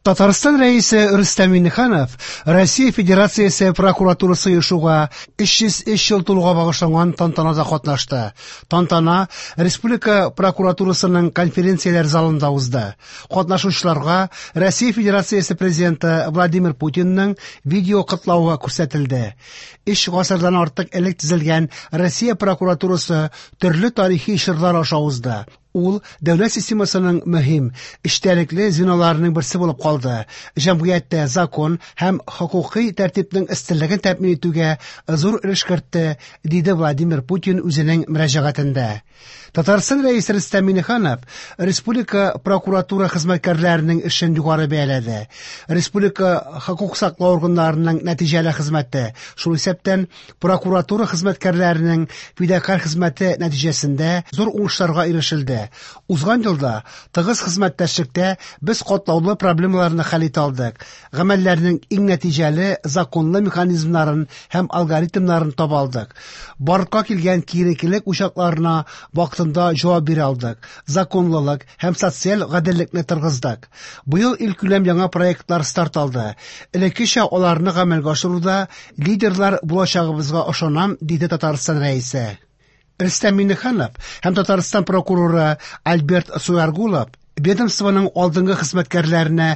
Татарстан Рәисе Рөстәм Миңнеханов Россия Федерациясе прокуратурасы оешуга 303 ел тулуга багышланган тантанада катнашты. Тантана Республика прокуратурасының конференцияләр залында узды. Катнашучыларга Россия Федерациясе Президенты Владимир Путинның видео котлавы күрсәтелде. Өч гасырдан артык элек төзелгән Россия прокуратурасы төрле тарихи чорлар аша узды. Ул дәүләт системасының мөһим, эчтәлекле звеноларының берсе булып калды. Җәмгыятьтә закон һәм хокукый тәртипнең өстенлеген тәэмин итүгә зур өлеш кертте, диде Владимир Путин үзенең мөрәҗәгатендә. Татарстан Рәисе Рөстәм Миңнеханов республика прокуратура хезмәткәрләренең эшен югары бәяләде. Республика хокук саклау органнарының нәтиҗәле хезмәте, шул исәптән прокуратура хезмәткәрләренең фидакарь хезмәте нәтиҗәсендә зур уңышларга ирешелде. Узган елда тыгыз хезмәттәшлектә без катлаулы проблемаларны хәл итә алдык, гамәлләрнең иң нәтиҗәле законлы механизмнарын һәм алгоритмнарын таба алдык. Барлыкка килгән киеренкелек учакларына вакытында җавап бирә алдык, законлылык һәм социаль гаделлекне торгыздык. Быел илкүләм яңа проектлар старт алды. Элеккечә аларны гамәлгә ашыруда лидерлар булачагыбызга ышанам, диде Татарстан Рәисе. Рөстәм Миңнеханов һәм Татарстан прокуроры Альберт Суяргулов ведомствоның алдынгы хезмәткәрләренә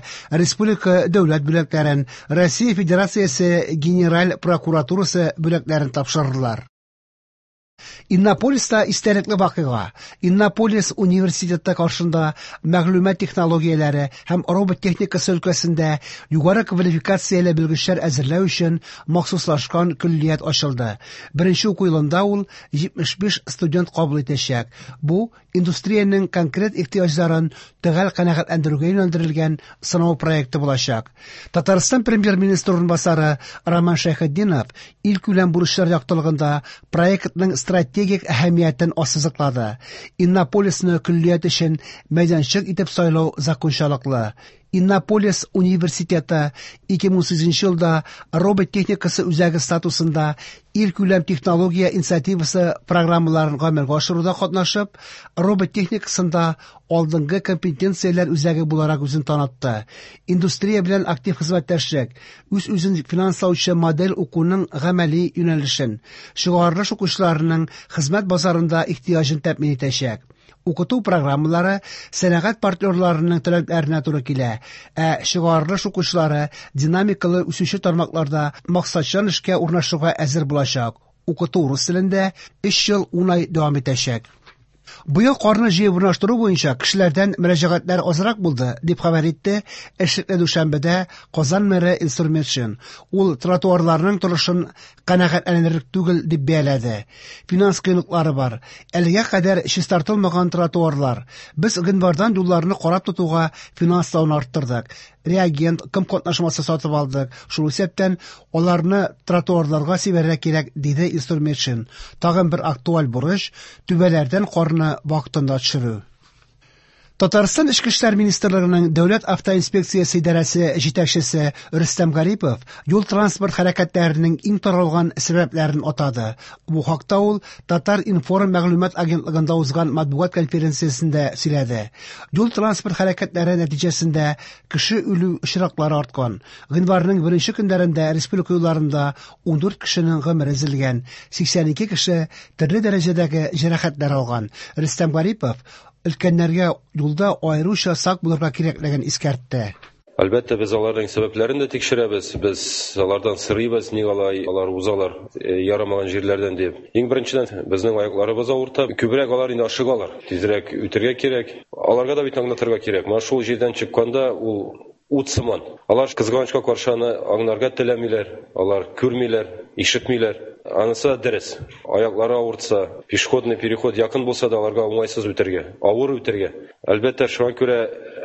республика дәүләт бүләкләрен, Россия Федерациясе Генераль прокуратурасы бүләкләрен тапшырдылар. Иннополиста истәлекле вакыйга. Иннополис университеты каршында мәгълүмат технологияләре һәм робот техникасы өлкәсендә югары квалификацияле белгечләр әзерләү өчен махсуслашкан көллият ачылды. Беренче уку елында ул 75 студент кабул итәчәк. Бу индустриянең конкрет ихтыяҗларын төгәл канәгатьләндерүгә юнәлдерелгән сынау проекты булачак. Татарстан премьер-министры урынбасары Роман Шәйхетдинов илкүләм бурычлар яктылыгында проектның стратегик әһәмиятен ассызыклады. Иннополисны көллият өчен мәйданчык итеп сайлау закончалыклы. Иннополис университеты 2018 елда робот техникасы үзәге статусында илкүләм технология инициативасы программаларын гамәлгә ашыруда катнашып, робот техникасында алдынгы компетенцияләр үзәге буларак үзен танытты. Индустрия белән актив хезмәттәшлек, үз-үзен финанслаучы модель укуның гамәли юнәлешен, чыгарылыш укучыларының хезмәт базарында ихтыяҗын тәэмин итәчәк. Укыту программалары сәнәгать партнерларының таләпләренә туры килә, ә чыгарылыш укучылары динамикалы үсүче тармакларда максатчан эшкә урнашуга әзер булачак. Укыту рус телендә 3 ел 10 ай дәвам итәчәк. Быел карны җыеп урнаштыру буенча кешеләрдән мөрәҗәгатьләр азрак булды, дип хәбәр итте эшлекле дүшәмбедә Казан мэры Илсур Метшин. Ул тротуарларның торышын канәгатьләнерлек түгел дип бәяләде. Финанс кыенлыклары бар. Әлегә кадәр чистартылмаган тротуарлар. Без гыйнвардан юлларны карап тотуга финанслауны арттырдык. Реагент, ком катнашмасы сатып алдык. Шул исәптән аларны тротуарларга сибәргә кирәк, диде Илсур Метшин. Тагын бер актуаль бурыч түбәләрдән карны вакытында төшерү. Татарстан Эчке эшләр министрлыгының Дәүләт автоинспекциясе идарәсе җитәкчесе Рөстәм Гарипов юл-транспорт хәрәкәтләренең иң таралган сәбәпләрен атады. Бу хакта ул Татар-информ мәгълүмат агентлыгында узган матбугат конференциясендә сөйләде. Юл-транспорт хәрәкәтләре нәтиҗәсендә кеше үлү очраклары арткан. Гыйнварның беренче көннәрендә республика юлларында 14 кешенең гомере өзелгән, 82 кеше төрле дәрәҗәдәге җәрәхәтләр алган. Рөстәм Гарипов өлкәннәргә юлда аеруча сак булырга кирәклеген искәртте. Әлбәттә, без аларның сәбәпләрен дә тикшерәбез, без алардан сорыйбыз, ник алай алар узалар ярамаган җирләрдән дип. Иң беренчедән, безнең аякларыбыз авырта. Күбрәк алар инде ашыгалар. Тизрәк үтергә кирәк. Аларга да бит аңлатырга кирәк. Менә шул җирдән чыкканда ул ут сыман. Алар кызганычка каршы аны аңларга теләмиләр, алар күрмиләр, ишетмиләр. Анысы да дөрес. Аяклары авыртса, пешеходный переход якын булса да аларга уңайсыз үтәргә, авыр үтәргә. Әлбәттә, шуңа күрә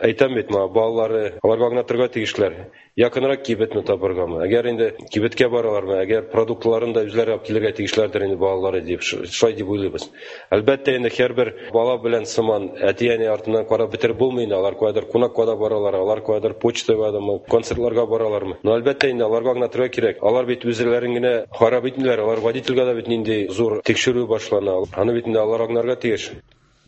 әйтәм бит, моңа балалары, аларга аңлатырга тиешләр. Якынрак кибетне табыргамы? Әгәр инде кибеткә баралармы, әгәр продуктларын да үзләре алып килергә тиешләрдер инде балалары дип, шулай дип уйлыйбыз. Әлбәттә инде һәрбер бала белән сыман әти-әни артыннан карап бетереп булмый инде, алар каядыр кунакка да баралар, алар каядыр почтагадамы, концертларга баралармы. Но әлбәттә инде аларга аңлатырга кирәк. Алар бит үзләрен генә харап итмиләр, алар водительгә дә бит нинди зур тикшерү башлана. Аны бит инде алар аңларга тиеш.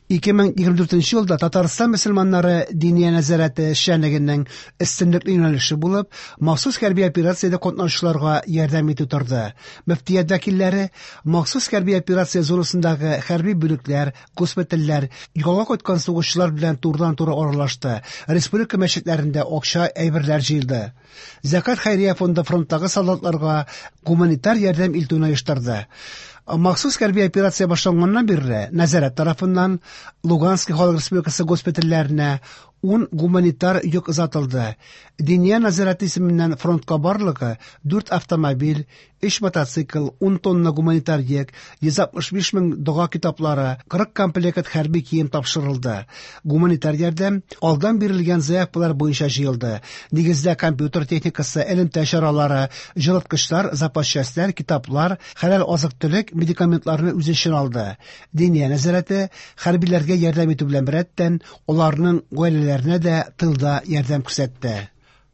2024 елда Татарстан мөселманнары Диния нәзарәте эшчәнлегенең өстенлекле юнәлеше булып, махсус хәрби операциядә катнашучыларга ярдәм итү торды. Мөфтият вәкилләре махсус хәрби операция зонасындагы хәрби бүлекләр, госпитальләр, ялга кайткан сугышчылар белән турыдан-туры аралашты. Республика мәчетләрендә акча, әйберләр җыелды. Зәкят хәйрия фонды фронттагы солдатларга гуманитар ярдәм илтүне оештырды. Махсус хәрби операция башланганнан бирле нәзарәт тарафыннан Луганский халык республикасы госпитальләренә 10 гуманитар йөк озатылды. Диния нәзарәте исеменнән фронтка барлыгы 4 автомобиль, 3 мотоцикл, 10 тонна гуманитар йөк, 165 мең дога китаплары, 40 комплект хәрби кием тапшырылды. Гуманитар ярдәм алдан бирелгән заявкалар буенча җыелды. Нигездә компьютер техникасы, элемтә чаралары, җылыткычлар, запас частьләр, китаплар, хәләл азык-төлек, медикаментларны үз эченә алды. Диния нәзарәте хәрбиләргә ярдәм итү белән беррәттән, аларның гаиләләренә дә тылда ярдәм күрсәтте.